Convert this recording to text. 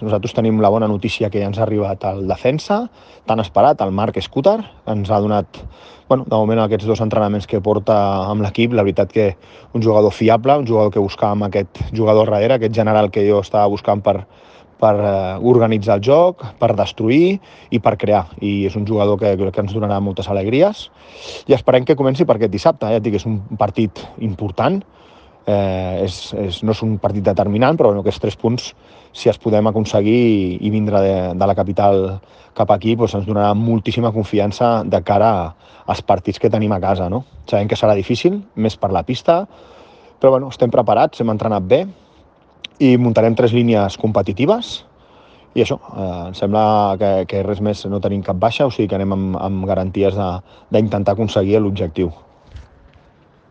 nosaltres tenim la bona notícia que ja ens ha arribat el defensa, tan esperat, el Marc Scooter, que ens ha donat, de moment, aquests 2 entrenaments que porta amb l'equip. La veritat que un jugador fiable, un jugador que buscàvem aquest jugador darrere, aquest general que jo estava buscant per organitzar el joc, per destruir i per crear. I és un jugador que crec que ens donarà moltes alegries. I esperem que comenci per aquest dissabte. Ja et dic, és un partit important. No és un partit determinant, però aquests 3 punts, si els podem aconseguir i vindre de la capital cap aquí, ens donarà moltíssima confiança de cara als partits que tenim a casa. No? Sabem que serà difícil, més per la pista, però estem preparats, hem entrenat bé i muntarem 3 línies competitives i això, em sembla que res més no tenim cap baixa, o sigui que anem amb garanties d'intentar aconseguir l'objectiu.